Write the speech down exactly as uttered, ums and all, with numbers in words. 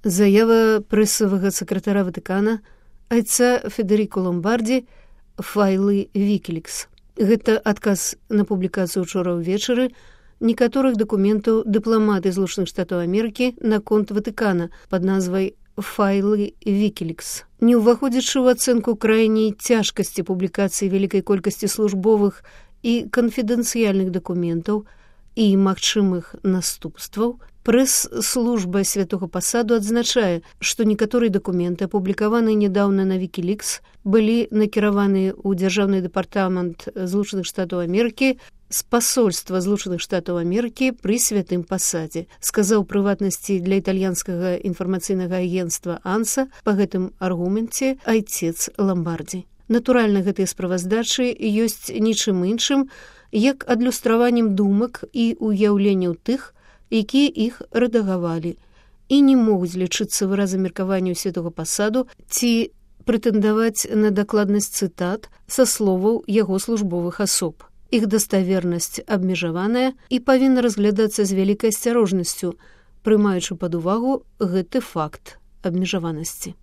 Заява прэсавага сакратара Ватыкана айца Федеріко Ломбарді «Файлы Вікілікс». Гэта адказ на публікацыю ўчора ўвечары некаторых дакументаў дыпламаты Злучаных Штатаў Амерыкі наконт Ватыкана пад назвай «Файлы Вікілікс». Не ўваходзячы ў ацэнку крайняй цяжкасці публікацыі вялікай колькасці службовых і канфідэнцыяльных дакументаў і магчымых наступстваў, прэс-служба святога пасаду адзначае, што некаторыя дакументы, апублікаваныя нядаўна на Вікілікс, былі накіраваныя ў дзяржаўны дэпартамент Злучаных Штатаў Амерыкі з пасольства Злучаных Штатаў Амерыкі пры святым пасадзе, сказаў прыватнасці для італьянскага інфармацыйнага агенцтва «Анса» па гэтым аргуменце айцец Ломбардзі. Натуральна, гэтыя справаздачы ёсць нічым іншым, як адлюстраваннем думак і ўяўленняў тых, якія іх рэдагавалі, і не могуць лічыцца выразам меркавання святога пасаду ці прэтэндаваць на дакладнасць цытат са словаў яго службовых асоб. Іх даставернасць абмежаваная і павінна разглядацца з вялікай асцярожнасцю, прымаючы пад увагу гэты факт абмежаванасці.